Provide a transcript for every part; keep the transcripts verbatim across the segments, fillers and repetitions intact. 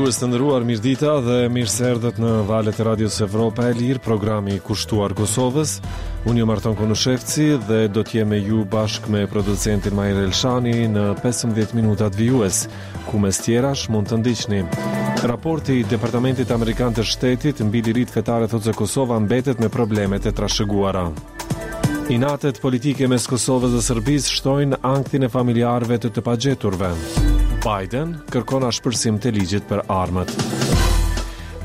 Dëgjues të nderuar, mirëdita dhe mirë se erdhët në valët e Radios Evropa e Lirë, programi kushtuar Kosovës. Unë jam Arton Konushevci dhe do të jem me ju bashkë me producentin Mahir Elshani në pesëmbëdhjetë minutat vijues, ku mes tjerash mund të ndiqni. Raporti i Departamentit Amerikan të Shtetit mbi liritë fetare thotë se Kosova mbetet me problemet e trashëguara. Inatet politike mes Kosovës dhe Serbisë shtojnë ankthin e familjarëve të të pagjeturve. Biden kërkon ashpërsim të ligjit për armët.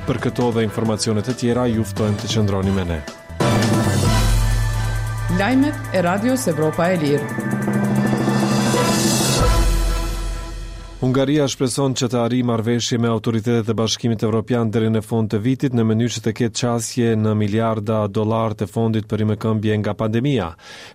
Për këto dhe informacione të tjera, ju ftojmë të qëndroni me ne. Lajmet e Radios Evropa e Lirë. Hungaria shpreson që të arrijë marrëveshje me autoritetet e Bashkimit Evropian deri në fund të vitit në mënyrë që të ketë qasje në miliarda dollar të fondit për rimëkëmbje nga pandemia.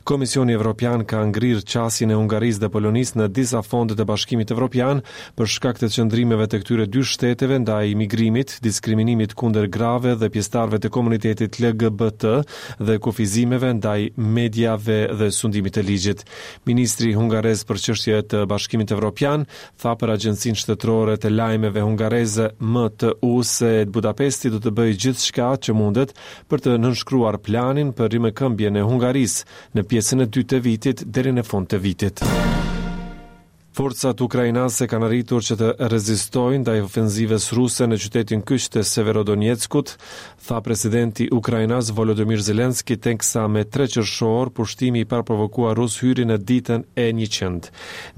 Komisioni Evropian ka ngrirë qasjen e Hungarisë dhe Polonisë në disa fonde të Bashkimit Evropian për shkak të qëndrimeve të këtyre dy shteteve ndaj migrimit, diskriminimit kundër grave dhe pjesëtarëve të komunitetit L G B T dhe kufizimeve ndaj mediave dhe sundimit të ligjit. Ministri hungarez për çështje të Bashkimit Evropian tha për Agjencinë Shtetërore të Lajmeve Hungareze M T U se Budapesti do të bëjë gjithçka që mundet për të nënshkruar planin për rimëkëmbjen e Hungarisë në pjesën e dytë të vitit deri në fund të vitit. Forcat ukrainase kanë arritur që të rezistojnë ndaj ofenzivës ruse në qytetin kyç të Severodonetskut, tha presidenti ukrainas Volodymyr Zelensky teksa me tre qershor pushtimi i parprovokuar rus hyri në ditën e njëqind.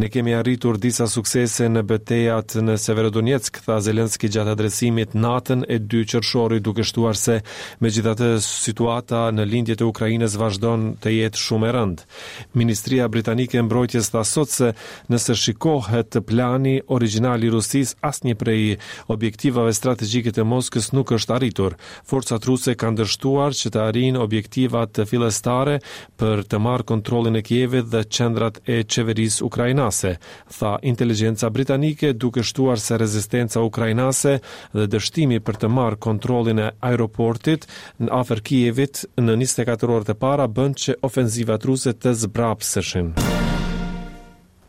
Ne kemi arritur disa suksese në betejat në Severodonetsk, tha Zelensky gjatë adresimit natën e dy qershorit, duke shtuar se megjithatë situata në lindje të Ukrainës vazhdon të jetë shumë e rëndë. Ministria Britanike e Mbrojtjes tha sot se nëse shikohet plani origjinal i Rusisë, asnjë prej objektivave strategjike të Moskës nuk është arritur. Forcat ruse kanë dështuar që të arrijnë objektivat fillestare për të marrë kontrollin e Kievit dhe qendrat e qeverisë ukrainase, tha inteligjenca britanike, duke shtuar se rezistenca ukrainase dhe dështimi për të marrë kontrollin e aeroportit në afër Kievit në njëzet e katër orët e para bën që ofenzivat ruse të zbrapseshin.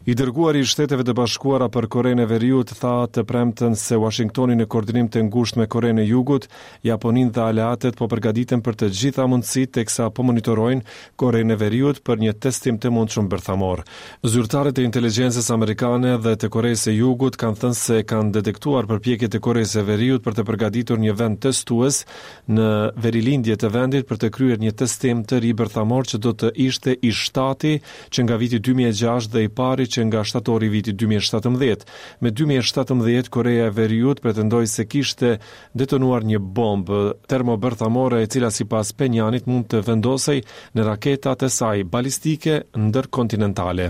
I dërguari i Shteteve të Bashkuara për Korenë e Veriut tha të premten se Washingtoni në koordinim të ngushtë me Korenë e Jugut, Japoninë dhe aleatët po përgatiten për të gjitha mundësitë teksa po monitorojnë Korenë e Veriut për një testim të mundshëm bërthamor. Zyrtarët e inteligjencës amerikane dhe të Koresë së Jugut kanë thënë se kanë detektuar përpjekjet e Koresë së Veriut për të përgatitur një vend testues në verilindje të vendit për të kryer një testim të ri bërthamor që do të ishte i shtati që nga viti dy mijë e gjashtë dhe i pari që nga shtatori i vitit dy mijë e shtatëmbëdhjetë. Me dy mijë e shtatëmbëdhjetë, Koreja e Veriut pretendoi se kishte detonuar një bombë termobërthamore e cila sipas Phenjanit mund të vendosej në raketat e saj balistike ndërkontinentale.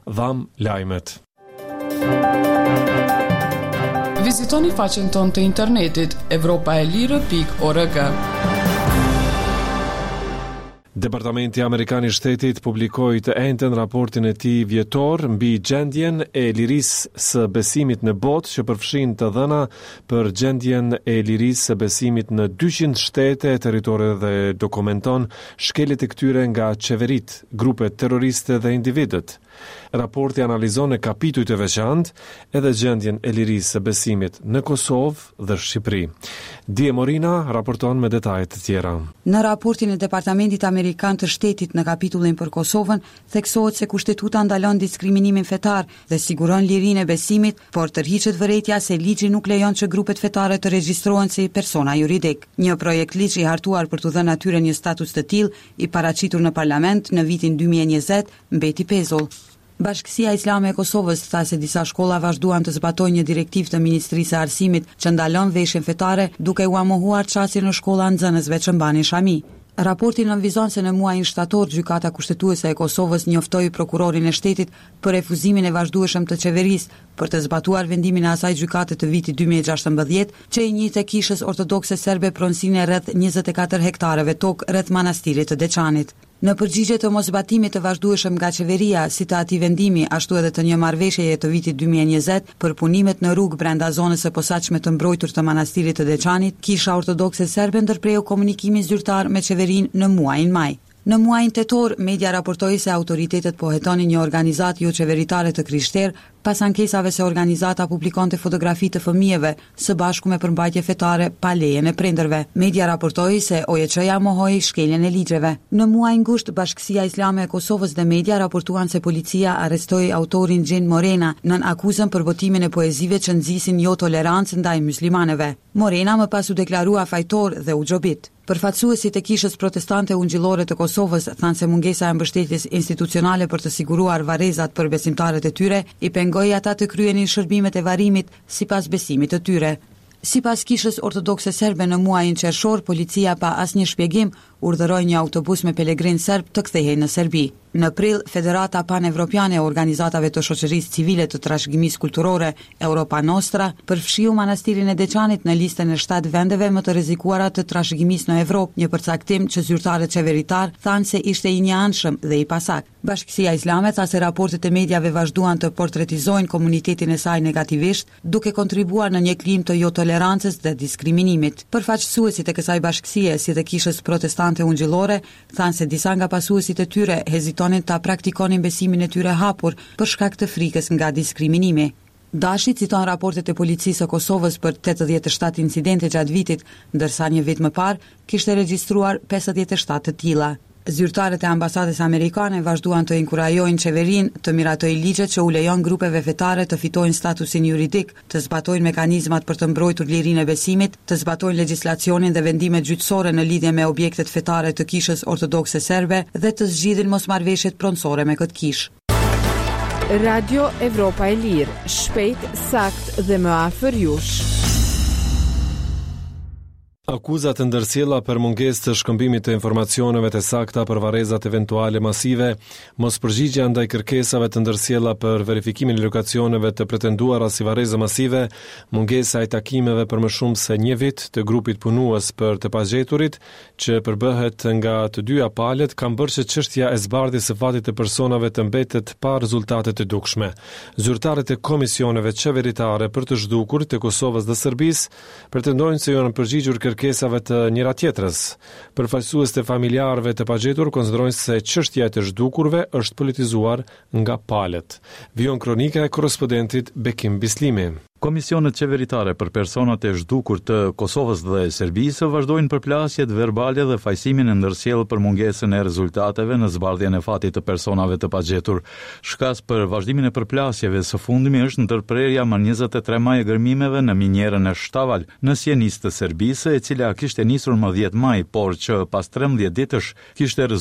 Dham lajmet. Vizitoni faqen tonë të internetit evropa e lirë pikë org. Departamenti Amerikan i Shtetit publikoi të enjten raportin e tij vjetor mbi gjendjen e lirisë së besimit në botë, që përfshin të dhëna për gjendjen e lirisë së besimit në dyqind shtete e territore dhe dokumenton shkeljet e këtyre nga qeveritë, grupet terroriste dhe individët. Raporti analizon në kapituj të veçantë edhe gjendjen e lirisë së besimit në Kosovë dhe Shqipëri. Die Morina raporton me detaje të tjera. Në raportin e Departamentit Amerikan të Shtetit në kapitullin për Kosovën, theksohet se kushtetuta ndalon diskriminimin fetar dhe siguron lirinë e besimit, por tërhiqet vërejtja se ligji nuk lejon që grupet fetare të regjistrohen si persona juridik. Një projekt ligj i hartuar për t'u dhënë atyre një status të tillë, i paraqitur në parlament në vitin dy mijë e njëzet, mbeti pezull. Bashkësia Islame e Kosovës tha se disa shkolla vazhduan të zbatojnë një direktivë të Ministrisë së Arsimit që ndalon veshjen fetare, duke ua mohuar qasjen në shkolla nxënësve që mbanin shami. Raporti nënvizon se në muajin shtator Gjykata Kushtetuese e Kosovës njoftoi prokurorin e shtetit për refuzimin e vazhdueshëm të qeverisë për të zbatuar vendimin e asaj gjykate të vitit dy mijë e gjashtëmbëdhjetë që i njihte kishës ortodokse serbe pronësinë e rreth njëzet e katër hektarëve tokë rreth manastirit të Deçanit. Në përgjigje të moszbatimit të vazhdueshëm nga qeveria, si të atij vendimi, ashtu edhe të një marrëveshjeje të vitit dy mijë e njëzet për punimet në rrugë brenda zonës së posaçme të mbrojtur të manastirit të Deçanit, Kisha Ortodokse Serbe ndërpreu komunikimin zyrtar me qeverinë në muajin maj. Në muajin tetor, media raportoi se autoritetet po hetonin një organizatë jo qeveritare të krishterë pas ankesave se organizata publikonte fotografi të fëmijëve së bashku me përmbajtje fetare pa lejen e prindërve. Media raportoi se O J Ç-ja mohoi shkeljen e ligjeve. Në muajin gusht, Bashkësia Islame e Kosovës dhe media raportuan se policia arrestoi autorin Gjin Morena nën akuzën për botimin e poezive që nxisin jo tolerancë ndaj muslimanëve. Morena më pas u deklarua fajtor dhe u gjobit. Përfaqësuesit e Kishës Protestante Ungjillore të Kosovës thanë se mungesa e mbështetjes institucionale për të siguruar varrezat për besimtarët e tyre i pengoi ata të kryenin shërbimet e varrimit sipas besimit të tyre. Sipas Kishës Ortodokse Serbe, në muajin qershor, policia pa asnjë shpjegim urdhëroi një autobus me pelegrin serb të kthehej në Serbi. Në prill, Federata Pan-Evropiane e Organizatave të Shoqërisë Civile të Trashëgimisë Kulturore, Europa Nostra, përfshiu Manastirin e Deçanit në listën e shtatë vendeve më të rrezikuara të trashëgimisë në Evropë, një përcaktim që zyrtarët qeveritar thanë se ishte i njëanshëm dhe i pasakt. Bashkësia Islame tha se raportet e mediave vazhduan të portretizojnë komunitetin e saj negativisht, duke kontribuar në një klimë të jotolerancës dhe diskriminimit. Përfaqësuesit e kësaj bashkësie, si dhe Kishës Protestante Ungjillore, thanë se disa nga pasuesit e tyre hezitonin ta praktikonin besimin e tyre hapur për shkak të frikës nga diskriminimi. Dashi citon raportet e policisë së Kosovës për tetëdhjetë e shtatë incidente gjatë vitit, ndërsa një vit më parë kishte regjistruar pesëdhjetë e shtatë të tilla. Zyrtarët e ambasadës amerikane vazhduan të inkurajojnë qeverinë të miratojë ligjet që u lejon grupeve fetare të fitojnë statusin juridik, të zbatojnë mekanizmat për të mbrojtur lirinë e besimit, të zbatojnë legjislacionin dhe vendimet gjyqësore në lidhje me objektet fetare të Kishës Ortodokse Serbe dhe të zgjidhin mosmarrëveshjet pronësore me këtë kishë. Radio Evropa e Lirë, shpejt, sakt dhe më afër jush. Akuzat të ndërsjella për mungesë të shkëmbimit të informacioneve të sakta për varrezat eventuale masive, mospërgjigja ndaj kërkesave të ndërsjella për verifikimin e lokacioneve të pretenduara si varreza masive, mungesa e takimeve për më shumë se një vit të grupit punues për të pagjeturit, që përbëhet nga të dyja palët, kanë bërë që çështja e zbardhjes së fatit të personave të mbetet pa rezultate të dukshme. Zyrtarët e komisioneve qeveritare për të zhdukur të Kosovës dhe Serbisë pretendojnë se janë përgjigjur kërkesave të njëra tjetrës. Përfaqësuesit e familjarëve të pagjetur konsiderojnë se çështja e të zhdukurve është politizuar nga palët. Vijon kronika e korrespondentit Bekim Bislimi. Komisionet qeveritare për personat e zhdukur të Kosovës dhe Serbisë vazhdojnë përplasjet verbale dhe fajësimin e ndërsjellë për mungesën e rezultateve në zbardhjen e fatit të personave të pagjetur. Shkas për vazhdimin e përplasjeve së fundmi është ndërprerja më njëzet e tre maj e gërmimeve në minierën e Shtaval në Sjenicë të Serbisë, e cila kishte nisur më dhjetë maj, por që pas trembëdhjetë ditësh kishte